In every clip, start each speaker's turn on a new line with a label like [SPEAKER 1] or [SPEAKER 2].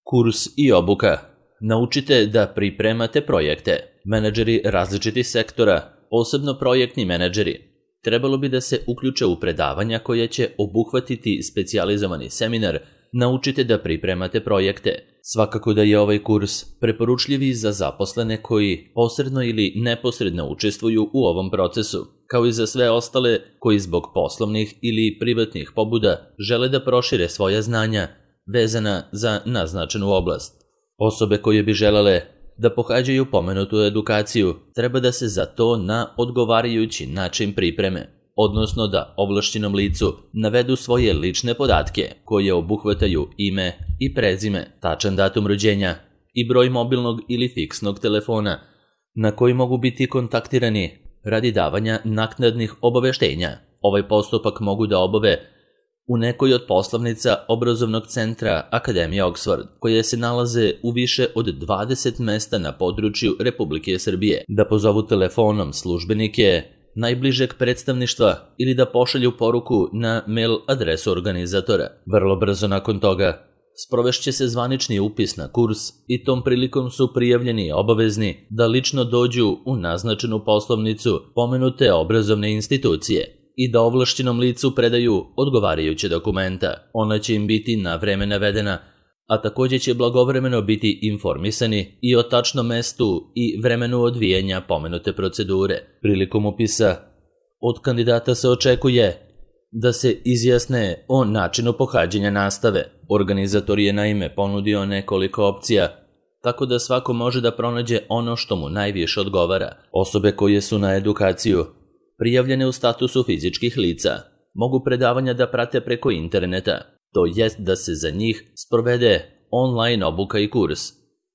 [SPEAKER 1] Kurs i obuka. Naučite da pripremate projekte. Menadžeri različitih sektora, posebno projektni menadžeri, trebalo bi da se uključe u predavanja koja će obuhvatiti specijalizovani seminar Naučite da pripremate projekte. Svakako da je ovaj kurs preporučljiv i za zaposlene koji posredno ili neposredno učestvuju u ovom procesu, kao i za sve ostale koji zbog poslovnih ili privatnih pobuda žele da prošire svoja znanja vezana za naznačenu oblast. Osobe koje bi želele da pohađaju pomenutu edukaciju treba da se za to na odgovarajući način pripreme, odnosno da ovlašćenom licu navedu svoje lične podatke koje obuhvataju ime i prezime, tačan datum rođenja i broj mobilnog ili fiksnog telefona na koji mogu biti kontaktirani radi davanja naknadnih obaveštenja. Ovaj postupak mogu da obave u nekoj od poslovnica obrazovnog centra Akademije Oxford, koje se nalaze u više od 20 mesta na području Republike Srbije, da pozovu telefonom službenike najbližeg predstavništva ili da pošalju poruku na mail adresu organizatora. Vrlo brzo nakon toga sprovešće se zvanični upis na kurs i tom prilikom su prijavljeni obavezni da lično dođu u naznačenu poslovnicu pomenute obrazovne institucije i da ovlašćenom licu predaju odgovarajuće dokumenta. Ona će im biti na vreme navedena, a također će blagovremeno biti informisani i o tačnom mestu i vremenu odvijanja pomenute procedure. Prilikom upisa od kandidata se očekuje da se izjasne o načinu pohađanja nastave. Organizator je naime ponudio nekoliko opcija, tako da svako može da pronađe ono što mu najviše odgovara. Osobe koje su na edukaciju prijavljene u statusu fizičkih lica mogu predavanja da prate preko interneta, to jest da se za njih sprovede online obuka i kurs.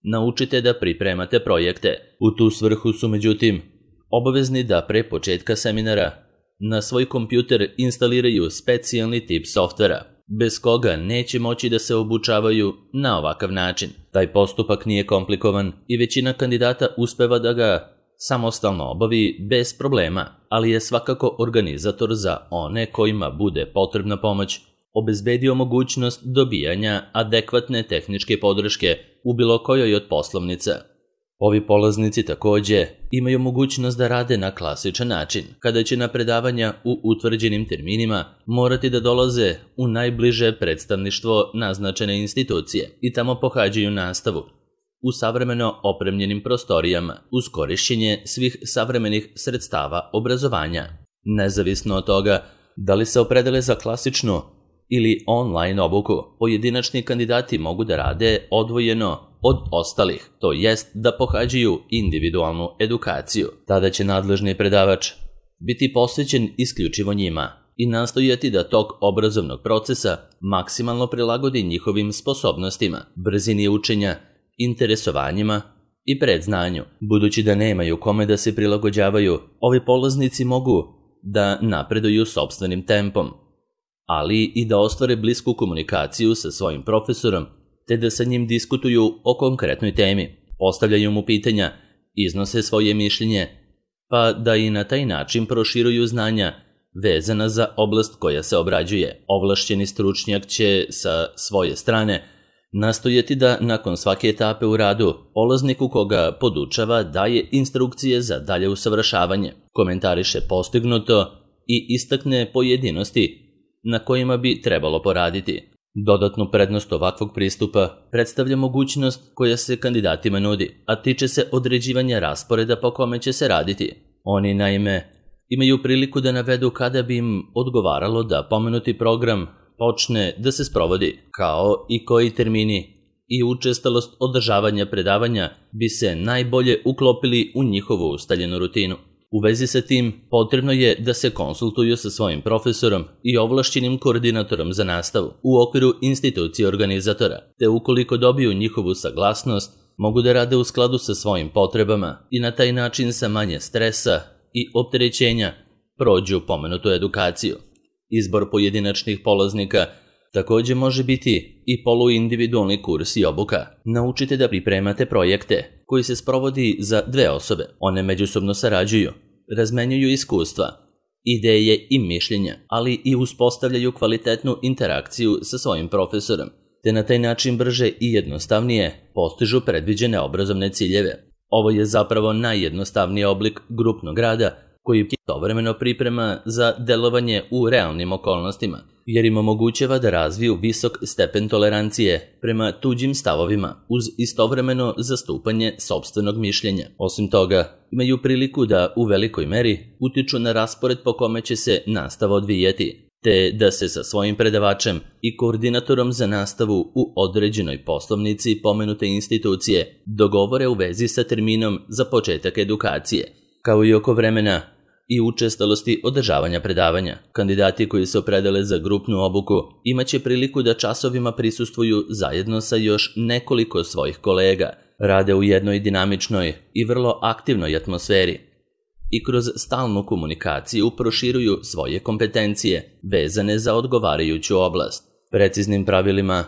[SPEAKER 1] Naučite da pripremate projekte. U tu svrhu su međutim obavezni da pre početka seminara na svoj kompjuter instaliraju specijalni tip softvera, bez koga neće moći da se obučavaju na ovakav način. Taj postupak nije komplikovan i većina kandidata uspeva da ga samostalno obavi bez problema, ali je svakako organizator za one kojima bude potrebna pomoć obezbedio mogućnost dobijanja adekvatne tehničke podrške u bilo kojoj od poslovnica. Ovi polaznici također imaju mogućnost da rade na klasičan način, kada će na predavanja u utvrđenim terminima morati da dolaze u najbliže predstavništvo naznačene institucije i tamo pohađaju nastavu u savremeno opremljenim prostorijama uz korišćenje svih savremenih sredstava obrazovanja. Nezavisno od toga da li se opredele za klasičnu ili online obuku, pojedinačni kandidati mogu da rade odvojeno od ostalih, to jest da pohađaju individualnu edukaciju. Tada će nadležni predavač biti posvećen isključivo njima i nastojati da tok obrazovnog procesa maksimalno prilagodi njihovim sposobnostima, brzini učenja, interesovanjima i predznanju. Budući da nemaju kome da se prilagođavaju, ovi polaznici mogu da napreduju sopstvenim tempom, ali i da ostvare blisku komunikaciju sa svojim profesorom, te da sa njim diskutuju o konkretnoj temi, postavljaju mu pitanja, iznose svoje mišljenje, pa da i na taj način proširuju znanja vezana za oblast koja se obrađuje. Ovlašćeni stručnjak će sa svoje strane nastojati da nakon svake etape u radu polazniku koga podučava daje instrukcije za dalje usavršavanje, komentariše postignuto i istakne pojedinosti na kojima bi trebalo poraditi. Dodatnu prednost ovakvog pristupa predstavlja mogućnost koja se kandidatima nudi, a tiče se određivanja rasporeda po kome će se raditi. Oni naime imaju priliku da navedu kada bi im odgovaralo da pomenuti program počne da se sprovodi, kao i koji termini i učestalost održavanja predavanja bi se najbolje uklopili u njihovu ustaljenu rutinu. U vezi sa tim, potrebno je da se konsultuju sa svojim profesorom i ovlašćenim koordinatorom za nastavu u okviru institucije organizatora, te ukoliko dobiju njihovu saglasnost, mogu da rade u skladu sa svojim potrebama i na taj način sa manje stresa i opterećenja prođu pomenutu edukaciju. Izbor pojedinačnih polaznika također može biti i poluindividualni kurs i obuka. Naučite da pripremate projekte koji se sprovodi za dve osobe. One međusobno sarađuju, razmenjuju iskustva, ideje i mišljenja, ali i uspostavljaju kvalitetnu interakciju sa svojim profesorom te na taj način brže i jednostavnije postižu predviđene obrazovne ciljeve. Ovo je zapravo najjednostavniji oblik grupnog rada koji ih istovremeno priprema za delovanje u realnim okolnostima, jer im omogućava da razviju visok stepen tolerancije prema tuđim stavovima uz istovremeno zastupanje sopstvenog mišljenja. Osim toga, imaju priliku da u velikoj meri utiču na raspored po kome će se nastava odvijati, te da se sa svojim predavačem i koordinatorom za nastavu u određenoj poslovnici pomenute institucije dogovore u vezi sa terminom za početak edukacije, kao i oko vremena i učestalosti održavanja predavanja. Kandidati koji se opredele za grupnu obuku imaće priliku da časovima prisustvuju zajedno sa još nekoliko svojih kolega, rade u jednoj dinamičnoj i vrlo aktivnoj atmosferi i kroz stalnu komunikaciju proširuju svoje kompetencije vezane za odgovarajuću oblast. Preciznim pravilima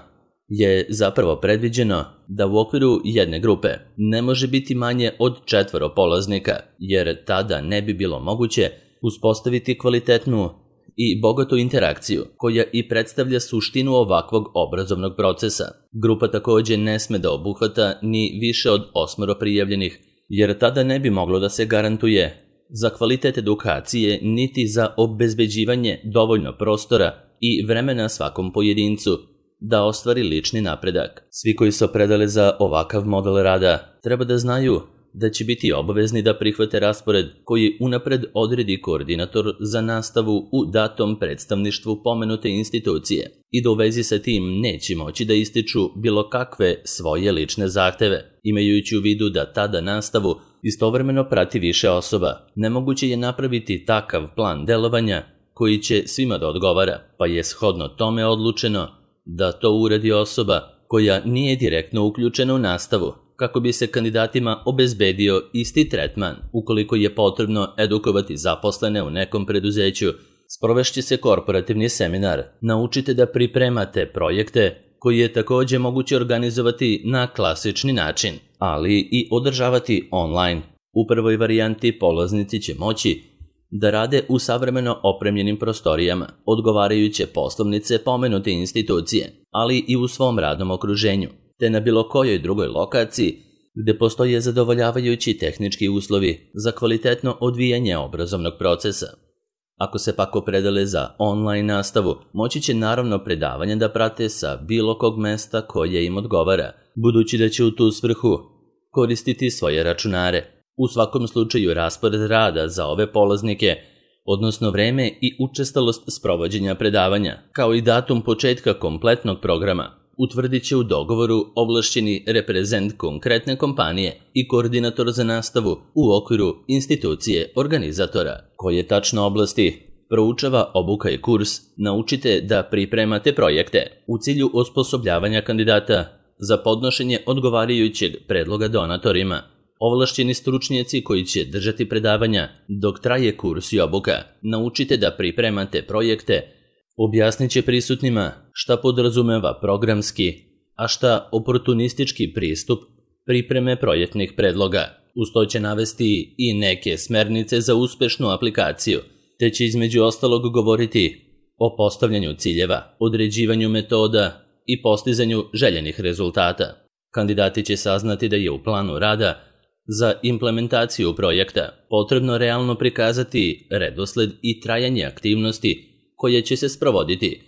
[SPEAKER 1] je zapravo predviđeno da u okviru jedne grupe ne može biti manje od 4 polaznika, jer tada ne bi bilo moguće uspostaviti kvalitetnu i bogatu interakciju koja i predstavlja suštinu ovakvog obrazovnog procesa. Grupa također ne sme da obuhvata ni više od 8 prijavljenih, jer tada ne bi moglo da se garantuje za kvalitet edukacije niti za obezbeđivanje dovoljno prostora i vremena svakom pojedincu da ostvari lični napredak. Svi koji se opredele za ovakav model rada treba da znaju da će biti obavezni da prihvate raspored koji unapred odredi koordinator za nastavu u datom predstavništvu pomenute institucije i da u vezi sa tim neće moći da ističu bilo kakve svoje lične zahteve, imajući u vidu da tada nastavu istovremeno prati više osoba. Nemoguće je napraviti takav plan delovanja koji će svima da odgovara, pa je shodno tome odlučeno da to uradi osoba koja nije direktno uključena u nastavu, kako bi se kandidatima obezbedio isti tretman. Ukoliko je potrebno edukovati zaposlene u nekom preduzeću, sprovešće se korporativni seminar. Naučite da pripremate projekte koji je također moguće organizovati na klasični način, ali i održavati online. U prvoj varijanti polaznici će moći da rade u savremeno opremljenim prostorijama, odgovarajuće poslovnice pomenute institucije, ali i u svom radnom okruženju, te na bilo kojoj drugoj lokaciji gde postoje zadovoljavajući tehnički uslovi za kvalitetno odvijanje obrazovnog procesa. Ako se pak opredele za online nastavu, moći će naravno predavanje da prate sa bilo kog mesta koje im odgovara, budući da će u tu svrhu koristiti svoje računare. U svakom slučaju raspored rada za ove polaznike, odnosno vreme i učestalost sprovođenja predavanja, kao i datum početka kompletnog programa, utvrdit će u dogovoru ovlašćeni reprezent konkretne kompanije i koordinator za nastavu u okviru institucije organizatora. Koje tačno oblasti proučava obuka i kurs Naučite da pripremate projekte u cilju osposobljavanja kandidata za podnošenje odgovarajućeg predloga donatorima. Ovlašćeni stručnjaci koji će držati predavanja dok traje kurs i obuka Naučite da pripremate projekte objasnit će prisutnima šta podrazumeva programski, a šta oportunistički pristup pripreme projektnih predloga. Uz to će navesti i neke smernice za uspešnu aplikaciju, te će između ostalog govoriti o postavljanju ciljeva, određivanju metoda i postizanju željenih rezultata. Kandidati će saznati da je u planu rada za implementaciju projekta potrebno realno prikazati redosled i trajanje aktivnosti koje će se sprovoditi,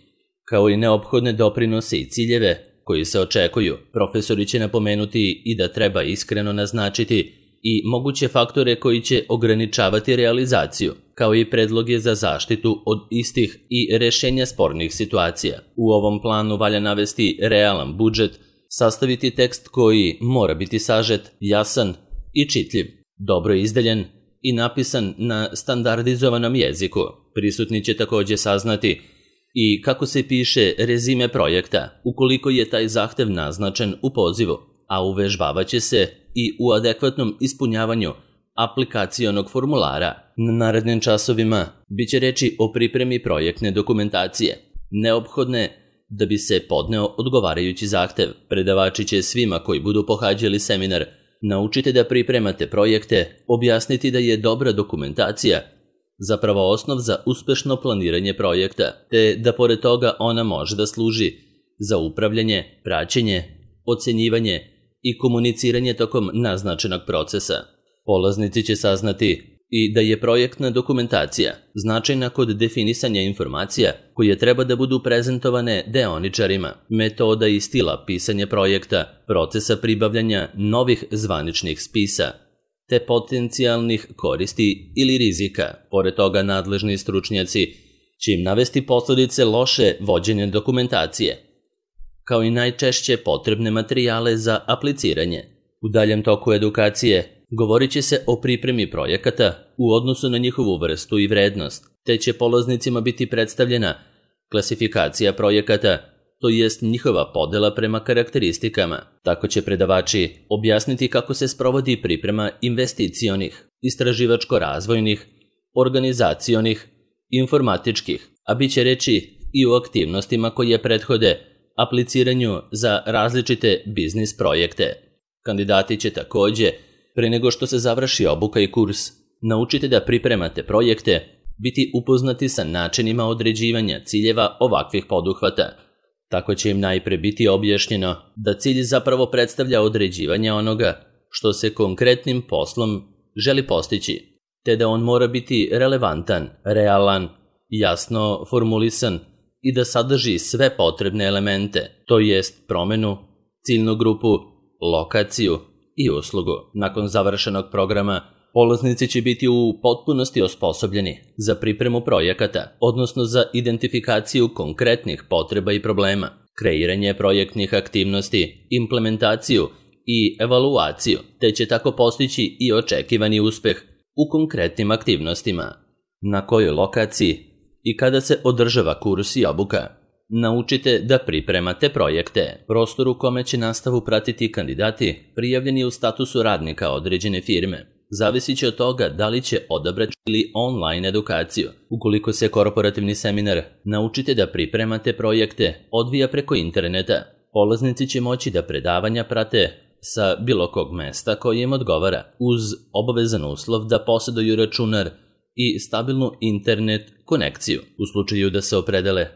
[SPEAKER 1] kao i neophodne doprinose i ciljeve koji se očekuju. Profesori će napomenuti i da treba iskreno naznačiti i moguće faktore koji će ograničavati realizaciju, kao i predloge za zaštitu od istih i rešenja spornih situacija. U ovom planu valja navesti realan budžet, sastaviti tekst koji mora biti sažet, jasan i čitljiv, dobro izdeljen i napisan na standardizovanom jeziku. Prisutni će također saznati i kako se piše rezime projekta, ukoliko je taj zahtev naznačen u pozivu, a uvežbavat će se i u adekvatnom ispunjavanju aplikacionog formulara. Na narednim časovima bit će reči o pripremi projektne dokumentacije, neophodne da bi se podneo odgovarajući zahtev. Predavači će svima koji budu pohađali seminar Naučite da pripremate projekte objasniti da je dobra dokumentacija zapravo osnov za uspešno planiranje projekta, te da pored toga ona može da služi za upravljanje, praćenje, ocenjivanje i komuniciranje tokom naznačenog procesa. Polaznici će saznati i da je projektna dokumentacija značajna kod definisanja informacija koje treba da budu prezentovane deoničarima, metoda i stila pisanja projekta, procesa pribavljanja novih zvaničnih spisa, te potencijalnih koristi ili rizika. Pored toga, nadležni stručnjaci će im navesti posledice loše vođenja dokumentacije, kao i najčešće potrebne materijale za apliciranje. U daljem toku edukacije govorit će se o pripremi projekata u odnosu na njihovu vrstu i vrednost, te će polaznicima biti predstavljena klasifikacija projekata, to jest njihova podela prema karakteristikama. Tako će predavači objasniti kako se sprovodi priprema investicionih, istraživačko-razvojnih, organizacionih, informatičkih, a bit će reći i o aktivnostima koje prethode apliciranju za različite biznis projekte. Kandidati će takođe, pre nego što se završi obuka i kurs, naučite da pripremate projekte, biti upoznati sa načinima određivanja ciljeva ovakvih poduhvata. Tako će im najpre biti objašnjeno da cilj zapravo predstavlja određivanje onoga što se konkretnim poslom želi postići, te da on mora biti relevantan, realan, jasno formulisan i da sadrži sve potrebne elemente, to jest promenu, ciljnu grupu, lokaciju i uslugu. Nakon završenog programa, polaznici će biti u potpunosti osposobljeni za pripremu projekata, odnosno za identifikaciju konkretnih potreba i problema, kreiranje projektnih aktivnosti, implementaciju i evaluaciju, te će tako postići i očekivani uspeh u konkretnim aktivnostima. Na kojoj lokaciji i kada se održava kurs i obuka? Naučite da pripremate projekte. Prostor u kome će nastavu pratiti kandidati prijavljeni u statusu radnika određene firme. Zavisit će od toga da li će odabrati ili online edukaciju. Ukoliko se korporativni seminar naučite da pripremate projekte odvija preko interneta, polaznici će moći da predavanja prate sa bilo kog mesta koje im odgovara, uz obavezan uslov da poseduju računar i stabilnu internet konekciju. U slučaju da se opredele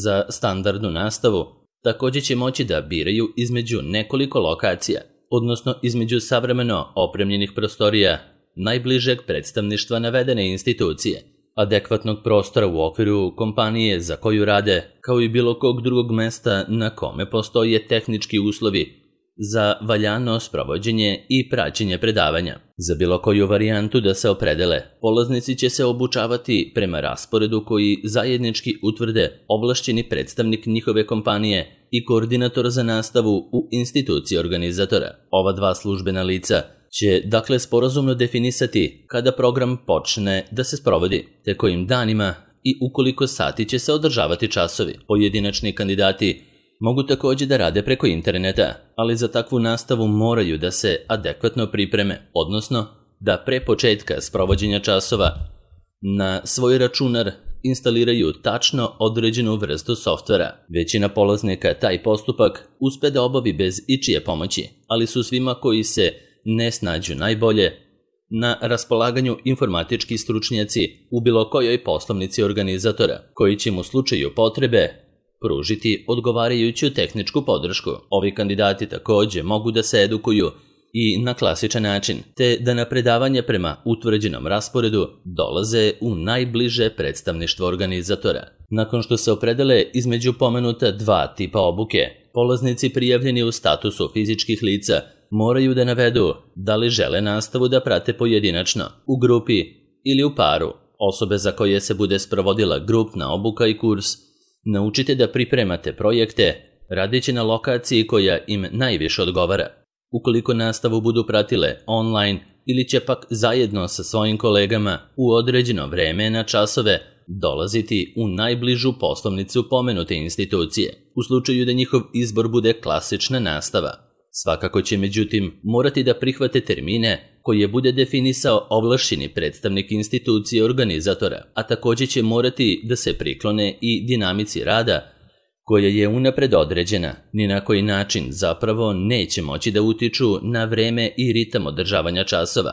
[SPEAKER 1] za standardnu nastavu, također će moći da biraju između nekoliko lokacija, odnosno između savremeno opremljenih prostorija najbližeg predstavništva navedene institucije, adekvatnog prostora u okviru kompanije za koju rade, kao i bilo kog drugog mesta na kome postoje tehnički uslovi za valjano sprovođenje i praćenje predavanja. Za bilo koju varijantu da se opredele, polaznici će se obučavati prema rasporedu koji zajednički utvrde ovlašćeni predstavnik njihove kompanije i koordinator za nastavu u instituciji organizatora. Ova dva službena lica će dakle sporazumno definisati kada program počne da se sprovodi, te kojim danima i u koliko sati će se održavati časovi. Pojedinačni kandidati mogu također da rade preko interneta, ali za takvu nastavu moraju da se adekvatno pripreme, odnosno da pre početka sprovođenja časova na svoj računar instaliraju tačno određenu vrstu softvera. Većina polaznika taj postupak uspe da obavi bez ičije pomoći, ali su svima koji se ne snađu najbolje na raspolaganju informatički stručnjaci u bilo kojoj poslovnici organizatora, koji će mu u slučaju potrebe pružiti odgovarajuću tehničku podršku. Ovi kandidati također mogu da se edukuju i na klasičan način, te da na predavanje prema utvrđenom rasporedu dolaze u najbliže predstavništvo organizatora. Nakon što se opredele između pomenuta dva tipa obuke, polaznici prijavljeni u statusu fizičkih lica moraju da navedu da li žele nastavu da prate pojedinačno, u grupi ili u paru. Osobe za koje se bude sprovodila grupna obuka i kurs naučite da pripremate projekte radeći na lokaciji koja im najviše odgovara. Ukoliko nastavu budu pratile online ili će pak zajedno sa svojim kolegama u određeno vreme na časove dolaziti u najbližu poslovnicu pomenute institucije, u slučaju da njihov izbor bude klasična nastava. Svakako će međutim morati da prihvate termine koje bude definisao ovlašćeni predstavnik institucije organizatora, a također će morati da se priklone i dinamici rada koja je unapred određena, ni na koji način zapravo neće moći da utiču na vreme i ritam održavanja časova,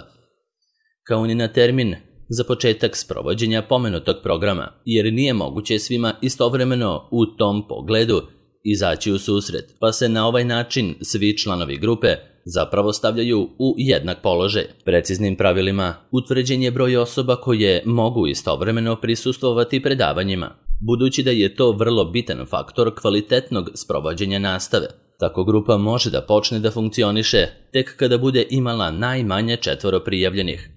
[SPEAKER 1] kao ni na termin za početak sprovođenja pomenutog programa, jer nije moguće svima istovremeno u tom pogledu izaći u susret, pa se na ovaj način svi članovi grupe zapravo stavljaju u jednak položaj. Preciznim pravilima utvrđen je broj osoba koje mogu istovremeno prisustvovati predavanjima, budući da je to vrlo bitan faktor kvalitetnog sprovođenja nastave. Tako grupa može da počne da funkcioniše tek kada bude imala najmanje 4 prijavljenih.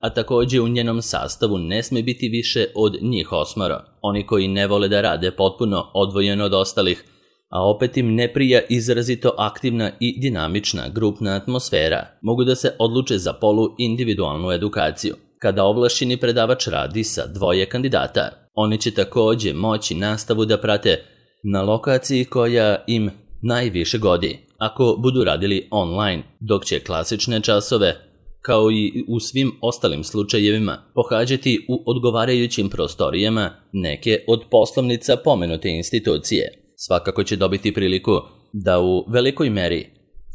[SPEAKER 1] A takođe u njenom sastavu ne sme biti više od njih 8. Oni koji ne vole da rade potpuno odvojeno od ostalih, a opet im ne prija izrazito aktivna i dinamična grupna atmosfera, mogu da se odluče za polu-individualnu edukaciju. Kada ovlašćeni predavač radi sa 2 kandidata, oni će takođe moći nastavu da prate na lokaciji koja im najviše godi, ako budu radili online, dok će klasične časove, kao i u svim ostalim slučajevima, pohađati u odgovarajućim prostorijama neke od poslovnica pomenute institucije. Svakako će dobiti priliku da u velikoj meri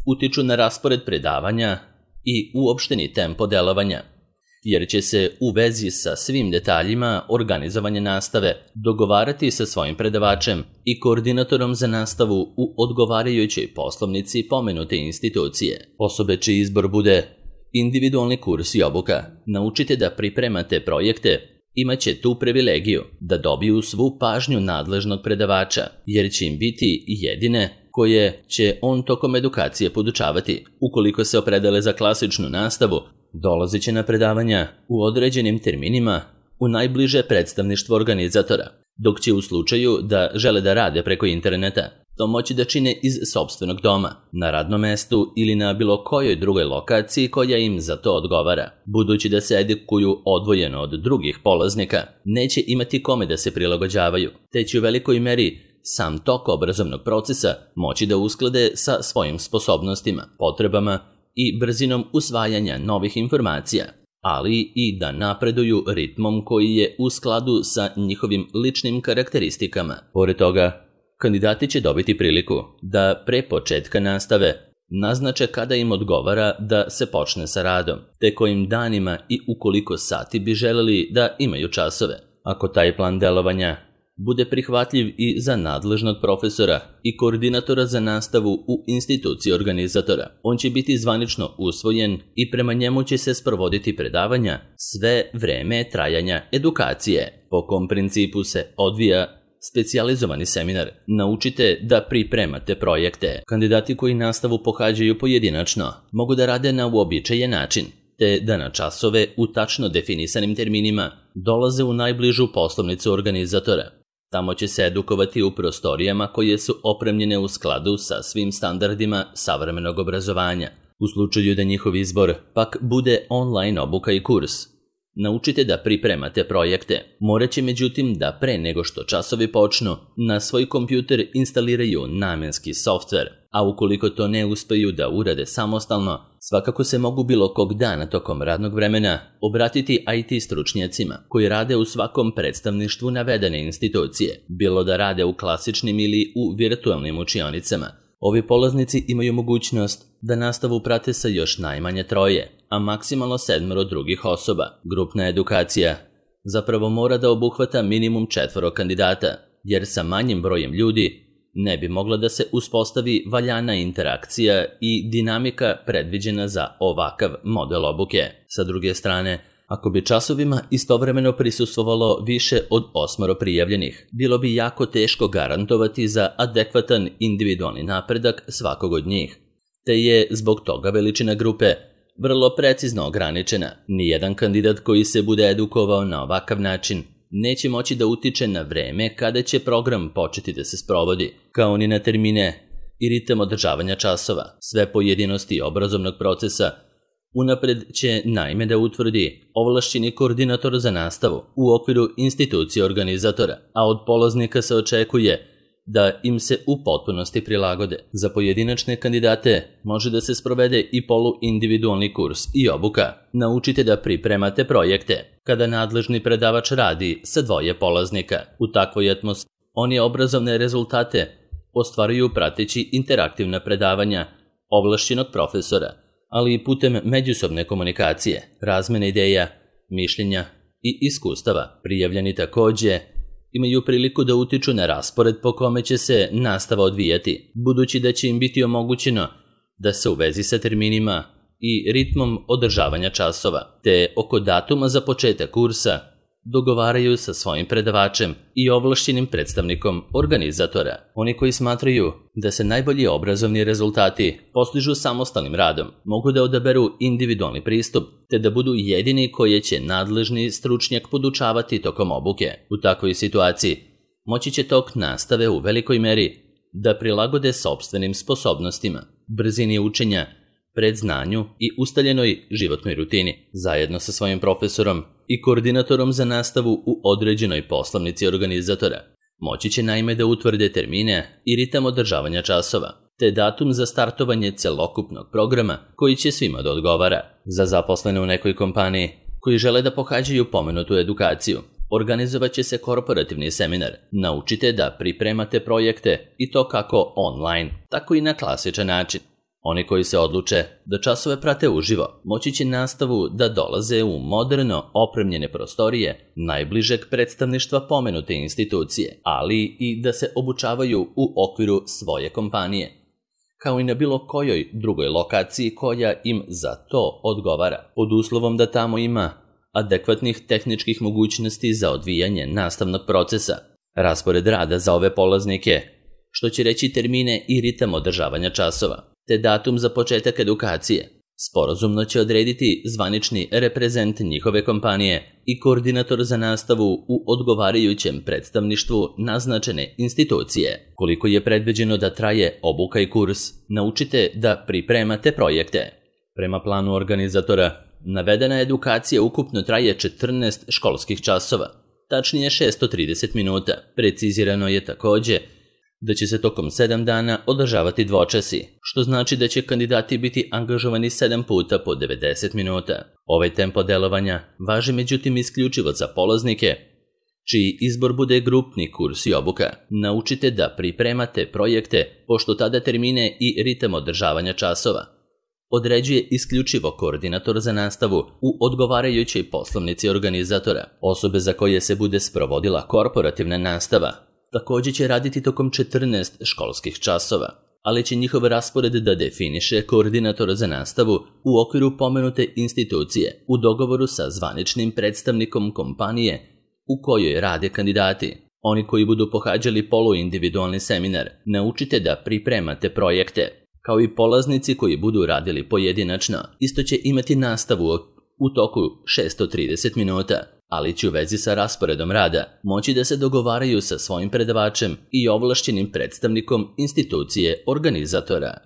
[SPEAKER 1] utiču na raspored predavanja i uopšteni tempo delovanja, jer će se u vezi sa svim detaljima organizovanja nastave dogovarati sa svojim predavačem i koordinatorom za nastavu u odgovarajućoj poslovnici pomenute institucije. Osobe čiji izbor bude individualni kurs i obuka, naučite da pripremate projekte, imaće tu privilegiju da dobiju svu pažnju nadležnog predavača, jer će im biti jedine koje će on tokom edukacije podučavati. Ukoliko se opredele za klasičnu nastavu, dolazit će na predavanja u određenim terminima u najbliže predstavništvo organizatora, dok će u slučaju da žele da rade preko interneta to moći da čine iz sopstvenog doma, na radnom mestu ili na bilo kojoj drugoj lokaciji koja im za to odgovara. Budući da se edukuju odvojeno od drugih polaznika, neće imati kome da se prilagođavaju, te će u velikoj meri sam tok obrazovnog procesa moći da usklade sa svojim sposobnostima, potrebama i brzinom usvajanja novih informacija, ali i da napreduju ritmom koji je u skladu sa njihovim ličnim karakteristikama. Pored toga, kandidati će dobiti priliku da pre početka nastave naznače kada im odgovara da se počne sa radom, te kojim danima i u koliko sati bi želeli da imaju časove. Ako taj plan delovanja bude prihvatljiv i za nadležnog profesora i koordinatora za nastavu u instituciji organizatora, on će biti zvanično usvojen i prema njemu će se sprovoditi predavanja sve vreme trajanja edukacije. Po kom principu se odvija specijalizovani seminar? Naučite da pripremate projekte. Kandidati koji nastavu pohađaju pojedinačno mogu da rade na uobičajen način, te da na časove u tačno definisanim terminima dolaze u najbližu poslovnicu organizatora. Tamo će se edukovati u prostorijama koje su opremljene u skladu sa svim standardima savremenog obrazovanja. U slučaju da njihov izbor pak bude online obuka i kurs, naučite da pripremate projekte. Morat će međutim da pre nego što časovi počnu, na svoj kompjuter instaliraju namenski softver, a ukoliko to ne uspeju da urade samostalno, svakako se mogu bilo kog dana tokom radnog vremena obratiti IT stručnjacima koji rade u svakom predstavništvu navedene institucije, bilo da rade u klasičnim ili u virtualnim učionicama. Ovi polaznici imaju mogućnost da nastavu prate sa još najmanje 3, a maksimalno 7 drugih osoba. Grupna edukacija zapravo mora da obuhvata minimum 4 kandidata, jer sa manjim brojem ljudi ne bi mogla da se uspostavi valjana interakcija i dinamika predviđena za ovakav model obuke. Sa druge strane, ako bi časovima istovremeno prisustvovalo više od 8 prijavljenih, bilo bi jako teško garantovati za adekvatan individualni napredak svakog od njih, te je zbog toga veličina grupe vrlo precizno ograničena. Nijedan kandidat koji se bude edukovao na ovakav način neće moći da utiče na vreme kada će program početi da se sprovodi, kao ni na termine i ritam održavanja časova. Sve pojedinosti obrazovnog procesa unapred će naime da utvrdi ovlašćeni koordinator za nastavu u okviru institucije organizatora, a od polaznika se očekuje da im se u potpunosti prilagode. Za pojedinačne kandidate može da se sprovede i poluindividualni kurs i obuka. Naučite da pripremate projekte. Kada nadležni predavač radi sa 2 polaznika, u takvoj atmosferi oni obrazovne rezultate ostvaruju prateći interaktivna predavanja ovlašćenog profesora, ali i putem međusobne komunikacije, razmene ideja, mišljenja i iskustava. Prijavljeni takođe imaju priliku da utiču na raspored po kome će se nastava odvijati, budući da će im biti omogućeno da se u vezi sa terminima i ritmom održavanja časova, te oko datuma za početak kursa dogovaraju sa svojim predavačem i ovlašćenim predstavnikom organizatora. Oni koji smatraju da se najbolji obrazovni rezultati postižu samostalnim radom, mogu da odaberu individualni pristup, te da budu jedini koje će nadležni stručnjak podučavati tokom obuke. U takvoj situaciji moći će tok nastave u velikoj meri da prilagode sopstvenim sposobnostima, brzini učenja, predznanju i ustaljenoj životnoj rutini, zajedno sa svojim profesorom i koordinatorom za nastavu u određenoj poslovnici organizatora. Moći će naime da utvrde termine i ritam održavanja časova, te datum za startovanje celokupnog programa koji će svima da odgovara. Za zaposlene u nekoj kompaniji koji žele da pohađaju pomenutu edukaciju, organizovat će se korporativni seminar. Naučite da pripremate projekte i to kako online, tako i na klasičan način. Oni koji se odluče da časove prate uživo, moći će nastavu da dolaze u moderno opremljene prostorije najbližeg predstavništva pomenute institucije, ali i da se obučavaju u okviru svoje kompanije, kao i na bilo kojoj drugoj lokaciji koja im za to odgovara, pod uslovom da tamo ima adekvatnih tehničkih mogućnosti za odvijanje nastavnog procesa. Raspored rada za ove polaznike, što će reći termine i ritam održavanja časova, te datum za početak edukacije, sporazumno će odrediti zvanični reprezent njihove kompanije i koordinator za nastavu u odgovarajućem predstavništvu naznačene institucije. Koliko je predviđeno da traje obuka i kurs, naučite da pripremate projekte. Prema planu organizatora, navedena edukacija ukupno traje 14 školskih časova, tačnije 630 minuta. Precizirano je takođe da će se tokom 7 dana održavati dvočasi, što znači da će kandidati biti angažovani 7 puta po 90 minuta. Ovaj tempo delovanja važi međutim isključivo za polaznike čiji izbor bude grupni kurs i obuka. Naučite da pripremate projekte, pošto tada termine i ritam održavanja časova određuje isključivo koordinator za nastavu u odgovarajućoj poslovnici organizatora. Osobe za koje se bude sprovodila korporativna nastava također će raditi tokom 14 školskih časova, ali će njihov raspored da definiše koordinator za nastavu u okviru pomenute institucije u dogovoru sa zvaničnim predstavnikom kompanije u kojoj rade kandidati. Oni koji budu pohađali poluindividualni seminar, naučite da pripremate projekte, kao i polaznici koji budu radili pojedinačno, isto će imati nastavu u toku 630 minuta, ali će u vezi sa rasporedom rada moći da se dogovaraju sa svojim predavačem i ovlašćenim predstavnikom institucije organizatora.